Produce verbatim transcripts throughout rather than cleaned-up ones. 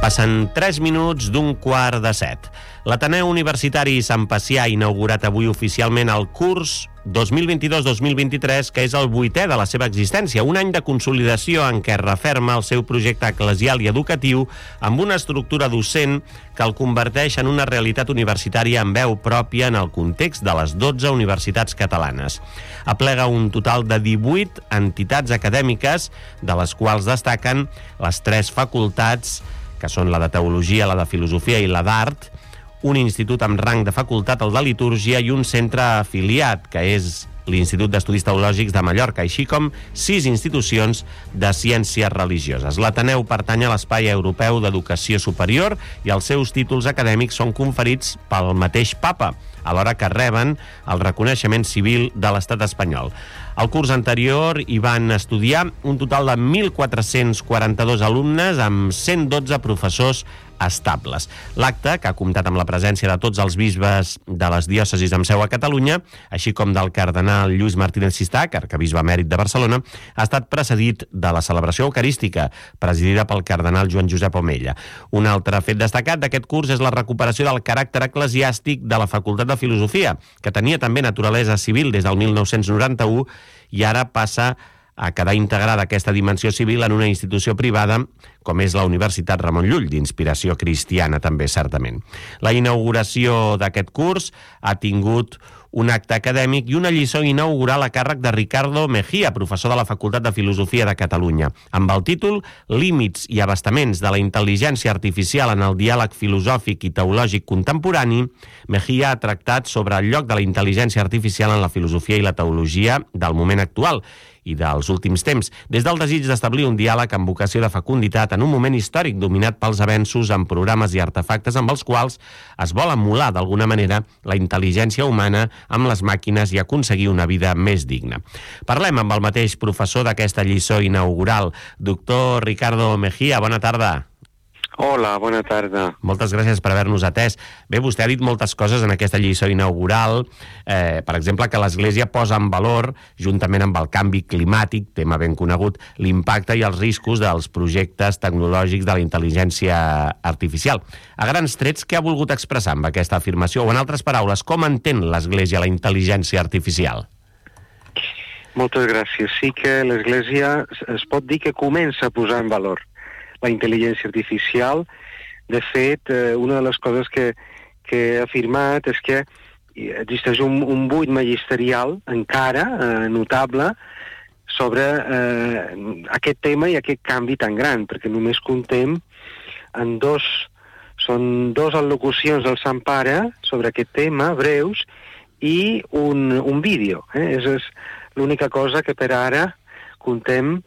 Passen tres minuts d'un quart de set. L'Ateneu Universitari Sant Pacià ha inaugurat avui oficialment el curs dos mil vint-i-dos dos mil vint-i-tres, que és el vuitè de la seva existència, un any de consolidació en què referma el seu projecte eclesial i educatiu amb una estructura docent que el converteix en una realitat universitària amb veu pròpia en el context de les dotze universitats catalanes. Aplega un total de divuit entitats acadèmiques, de les quals destaquen les tres facultats, que són la de Teologia, la de Filosofia i la d'Art, un institut amb rang de facultat, el de Litúrgia, i un centre afiliat, que és l'Institut d'Estudis Teològics de Mallorca, així com sis institucions de ciències religioses. L'Ateneu pertany a l'Espai Europeu d'Educació Superior i els seus títols acadèmics són conferits pel mateix Papa, alhora que reben el reconeixement civil de l'Estat espanyol. Al curs anterior hi van estudiar un total de mil quatre-cents quaranta-dos alumnes amb cent dotze professors estables. L'acte, que ha comptat amb la presència de tots els bisbes de les diòcesis amb seu a Catalunya, així com del cardenal Lluís Martínez Sistac, arquebisbe emèrit de Barcelona, ha estat precedit de la celebració eucarística, presidida pel cardenal Joan Josep Omella. Un altre fet destacat d'aquest curs és la recuperació del caràcter eclesiàstic de la Facultat de Filosofia, que tenia també naturalesa civil des del mil nou-cents noranta-u i ara passa a quedar integrada aquesta dimensió civil en una institució privada com és la Universitat Ramon Llull, d'inspiració cristiana també, certament. La inauguració d'aquest curs ha tingut un acte acadèmic i una lliçó inaugural a càrrec de Ricardo Mejía, professor de la Facultat de Filosofia de Catalunya, amb el títol Límits i abastaments de la intel·ligència artificial en el diàleg filosòfic i teològic contemporani. Mejía ha tractat sobre el lloc de la intel·ligència artificial en la filosofia i la teologia del moment actual i dels últims temps, des del desig d'establir un diàleg amb vocació de fecunditat en un moment històric dominat pels avenços en programes i artefactes amb els quals es vol emular d'alguna manera la intel·ligència humana amb les màquines i aconseguir una vida més digna. Parlem amb el mateix professor d'aquesta lliçó inaugural, doctor Ricardo Mejía. Bona tarda. Hola, bona tarda. Moltes gràcies per haver-nos atès. Bé, vostè ha dit moltes coses en aquesta lliçó inaugural, eh, per exemple, que l'Església posa en valor, juntament amb el canvi climàtic, tema ben conegut, l'impacte i els riscos dels projectes tecnològics de la intel·ligència artificial. A grans trets, què ha volgut expressar amb aquesta afirmació? O, en altres paraules, com entén l'Església la intel·ligència artificial? Moltes gràcies. Sí que l'Església es pot dir que comença a posar en valor la intel·ligència artificial. De fet, eh, una de les coses que, que he afirmat és que existeix un, un buit magisterial encara eh, notable sobre eh, aquest tema i aquest canvi tan gran, perquè només comptem en dos, són dos al·locucions del Sant Pare sobre aquest tema, breus, i un, un vídeo. Eh? És, és l'única cosa que per ara comptem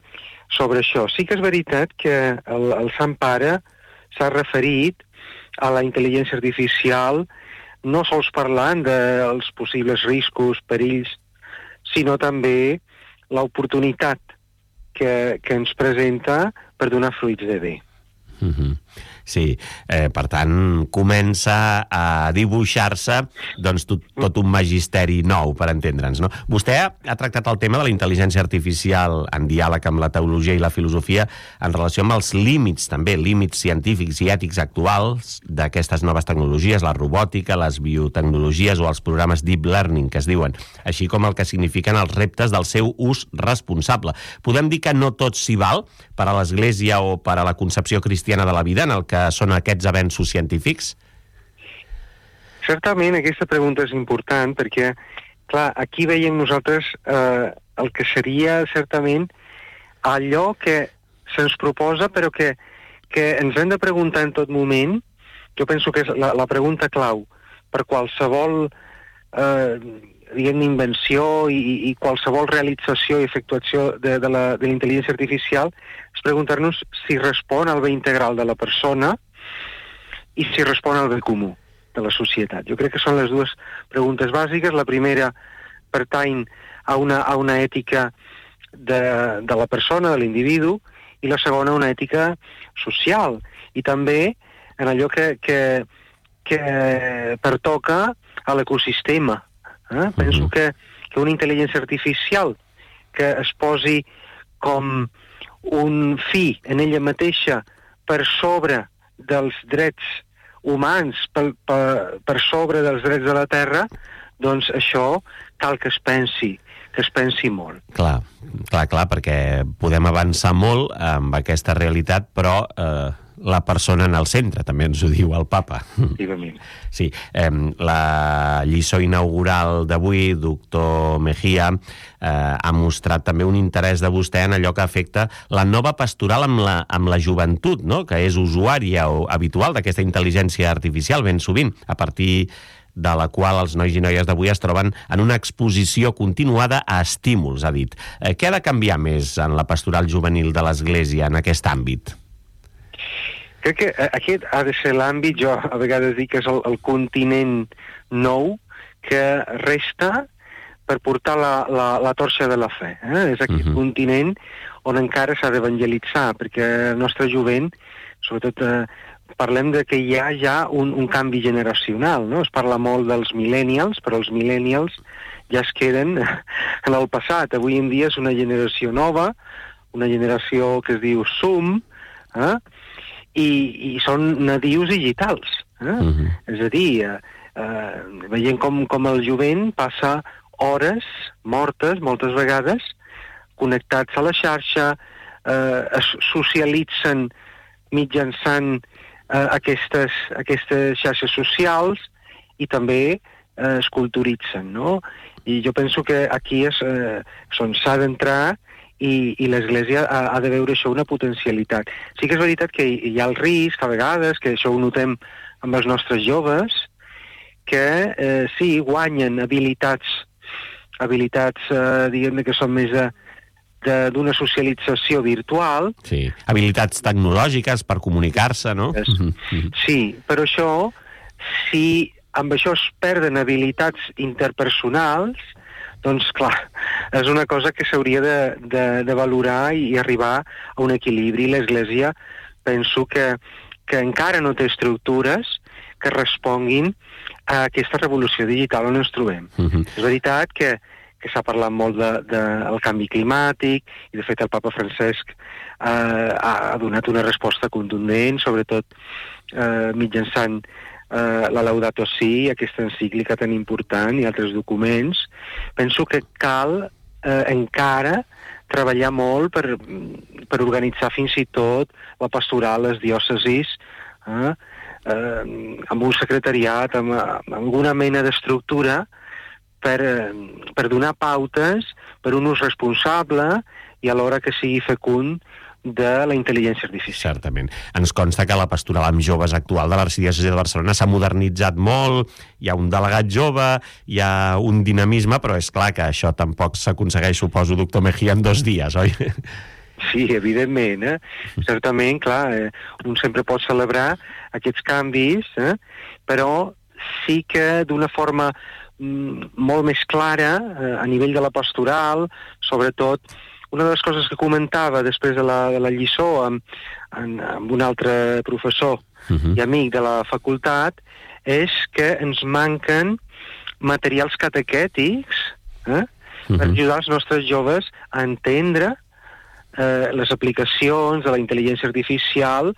sobre això. Sí que és veritat que el, el Sant Pare s'ha referit a la intel·ligència artificial no sols parlant dels possibles riscos, perills, sinó també l'oportunitat que, que ens presenta per donar fruits de bé. Mm-hmm. Sí, eh, per tant, comença a dibuixar-se doncs, tot, tot un magisteri nou, per entendre'ns, no? Vostè ha tractat el tema de la intel·ligència artificial en diàleg amb la teologia i la filosofia en relació amb els límits, també, límits científics i ètics actuals d'aquestes noves tecnologies, la robòtica, les biotecnologies o els programes deep learning, que es diuen, així com el que signifiquen els reptes del seu ús responsable. Podem dir que no tot s'hi val per a l'Església o per a la concepció cristiana de la vida en el que són aquests avenços científics? Certament, aquesta pregunta és important perquè, clar, aquí veiem nosaltres eh, el que seria certament allò que se'ns proposa però que, que ens hem de preguntar en tot moment. Jo penso que és la, la pregunta clau per qualsevol eh, diguem, invenció i, i qualsevol realització i efectuació de, de, la, de la intel·ligència artificial és preguntar-nos si respon al bé integral de la persona i si respon al bé comú de la societat. Jo crec que són les dues preguntes bàsiques. La primera pertany a una, a una ètica de, de la persona, de l'individu, i la segona una ètica social i també en allò que, que, que pertoca a l'ecosistema. Eh? Penso que, que una intel·ligència artificial que es posi com un fi en ella mateixa per sobre dels drets humans per, per, per sobre dels drets de la terra, doncs això cal que es pensi, que es pensi molt. Clar, clar, clar, perquè podem avançar molt amb aquesta realitat, però eh, la persona en el centre, també ens ho diu el papa. Efectivament. Sí, eh, la lliçó inaugural d'avui, doctor Mejía, eh, ha mostrat també un interès de vostè en allò que afecta la nova pastoral amb la, amb la joventut, no?, que és usuària o habitual d'aquesta intel·ligència artificial, ben sovint, a partir de la qual els nois i noies d'avui es troben en una exposició continuada a estímuls, ha dit. Eh, què ha de canviar més en la pastoral juvenil de l'Església en aquest àmbit? Crec que aquest ha de ser l'àmbit, jo a vegades dic que és el, el continent nou que resta per portar la, la, la torxa de la fe. Eh? És aquest uh-huh. continent on encara s'ha d'evangelitzar, perquè el nostre jovent, sobretot eh, parlem de que hi ha ja un, un canvi generacional, no? Es parla molt dels millennials, però els millennials ja es queden en el passat. Avui en dia és una generació nova, una generació que es diu Zoom, eh? I, i són nadius digitals. Eh? Uh-huh. És a dir, eh, eh, veient com, com el jovent passa hores mortes, moltes vegades, connectats a la xarxa, eh, es socialitzen mitjançant eh, aquestes, aquestes xarxes socials i també eh, es culturitzen, no? I jo penso que aquí és eh, on s'ha d'entrar i, i l'Església ha, ha de veure això una potencialitat. Sí que és veritat que hi, hi ha el risc, a vegades, que això ho notem amb els nostres joves, que eh, sí, guanyen habilitats, habilitats, eh, diguem que són més de d'una socialització virtual. Sí, habilitats tecnològiques per comunicar-se, no? És, sí, però això, si amb això es perden habilitats interpersonals, doncs, clar, és una cosa que s'hauria de, de, de valorar i arribar a un equilibri. L'Església penso que, que encara no té estructures que responguin a aquesta revolució digital on ens trobem. Uh-huh. És veritat que que s'ha parlat molt del de, de canvi climàtic, i de fet el papa Francesc eh, ha donat una resposta contundent, sobretot eh, mitjançant eh, la Laudato Si, aquesta encíclica tan important, i altres documents. Penso que cal eh, encara treballar molt per, per organitzar fins i tot la pastoral, les diòcesis, eh, eh, amb un secretariat, amb, amb alguna mena d'estructura, Per, per donar pautes per un ús responsable i alhora que sigui fecund de la intel·ligència artificial. Certament. Ens consta que la pastoral amb joves actual de l'Arxidiòcesi de Barcelona s'ha modernitzat molt, hi ha un delegat jove, hi ha un dinamisme, però és clar que això tampoc s'aconsegueix, suposo, doctor Mejía, en dos dies, oi? Sí, evidentment. Eh? Certament, clar, eh, un sempre pot celebrar aquests canvis, eh? Però sí que d'una forma molt més clara eh, a nivell de la pastoral, sobretot una de les coses que comentava després de la, de la lliçó amb, amb, amb un altre professor uh-huh. i amic de la facultat és que ens manquen materials catequètics eh, uh-huh. per ajudar els nostres joves a entendre eh, les aplicacions de la intel·ligència artificial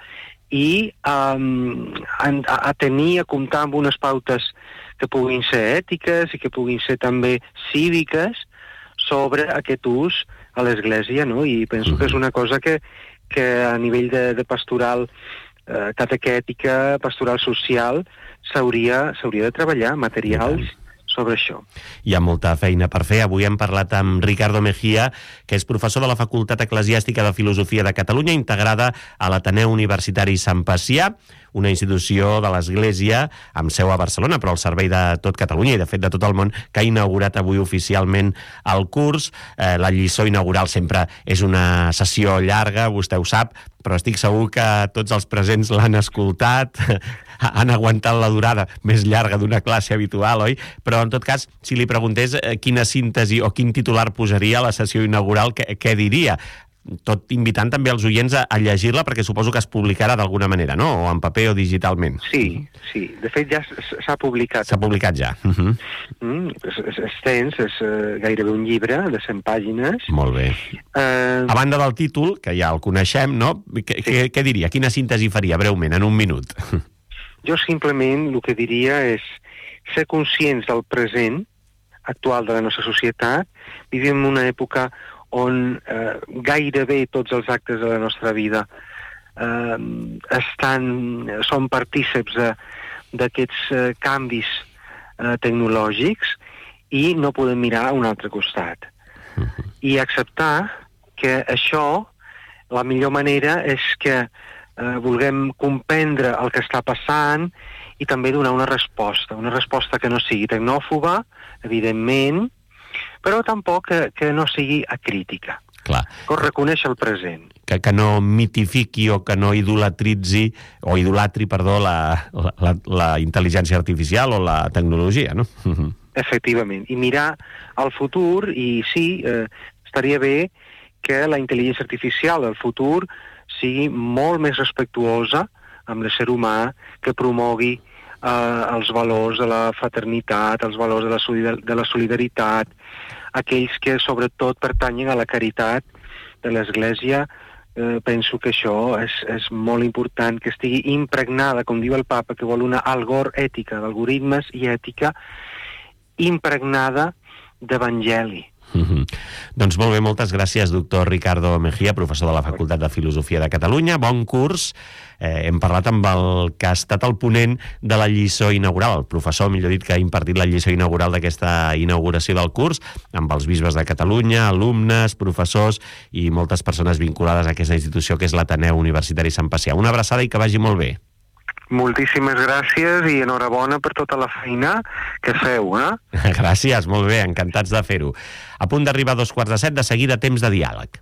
i um, a, a tenir, a comptar amb unes pautes que puguin ser ètiques i que puguin ser també cíviques sobre aquest ús a l'Església, no? I penso que és una cosa que, que a nivell de, de pastoral eh, catequètica, pastoral social, s'hauria s'hauria de treballar materials sobre això. Hi ha molta feina per fer. Avui hem parlat amb Ricardo Mejía, que és professor de la Facultat Eclesiàstica de Filosofia de Catalunya, integrada a l'Ateneu Universitari Sant Pacià, una institució de l'Església amb seu a Barcelona, però al servei de tot Catalunya i, de fet, de tot el món, que ha inaugurat avui oficialment el curs. Eh, la lliçó inaugural sempre és una sessió llarga, vostè ho sap, però estic segur que tots els presents l'han escoltat, han aguantat la durada més llarga d'una classe habitual, oi? Però, en tot cas, si li preguntés quina síntesi o quin titular posaria a la sessió inaugural, què, què diria? tot invitant també els oients a, a llegir-la, perquè suposo que es publicarà d'alguna manera, no? O en paper o digitalment. Sí, sí. De fet, ja s'ha publicat. S'ha publicat ja. Uh-huh. Mm, és, és extens, és uh, gairebé un llibre de cent pàgines. Molt bé. Uh... A banda del títol, que ja el coneixem, no? Què, sí. què, què diria? Quina síntesi faria, breument, en un minut? Jo simplement el que diria és ser conscients del present actual de la nostra societat. Vivim en una època on eh, gairebé tots els actes de la nostra vida eh, estan, són partíceps d'aquests eh, canvis eh, tecnològics i no podem mirar a un altre costat. Uh-huh. I acceptar que això, la millor manera és que eh, vulguem comprendre el que està passant i també donar una resposta, una resposta que no sigui tecnòfoba, evidentment, però tampoc que, que no sigui acrítica. Clar. Que reconeix el present. Que, que no mitifiqui o que no idolatritzi, o idolatri, perdó, la, la, la intel·ligència artificial o la tecnologia, no? Efectivament. I mirar al futur, i sí, eh, estaria bé que la intel·ligència artificial del futur sigui molt més respectuosa amb l'ésser humà, que promogui eh, els valors de la fraternitat, els valors de la, solidar de la solidaritat, aquells que sobretot pertanyen a la caritat de l'Església. Eh, penso que això és, és molt important, que estigui impregnada, com diu el Papa, que vol una algor ètica, d'algoritmes i ètica, impregnada d'evangeli. Mm-hmm. Doncs molt bé, moltes gràcies, doctor Ricardo Mejía, professor de la Facultat de Filosofia de Catalunya. Bon curs. Eh, hem parlat amb el que ha estat el ponent de la lliçó inaugural, el professor, millor dit, que ha impartit la lliçó inaugural d'aquesta inauguració del curs, amb els bisbes de Catalunya, alumnes, professors i moltes persones vinculades a aquesta institució que és l'Ateneu Universitari Sant Pacià. Una abraçada i que vagi molt bé. Moltíssimes gràcies i enhorabona per tota la feina que feu, eh? Gràcies, molt bé, encantats de fer-ho. A punt d'arribar a dos quarts de set, de seguida temps de diàleg.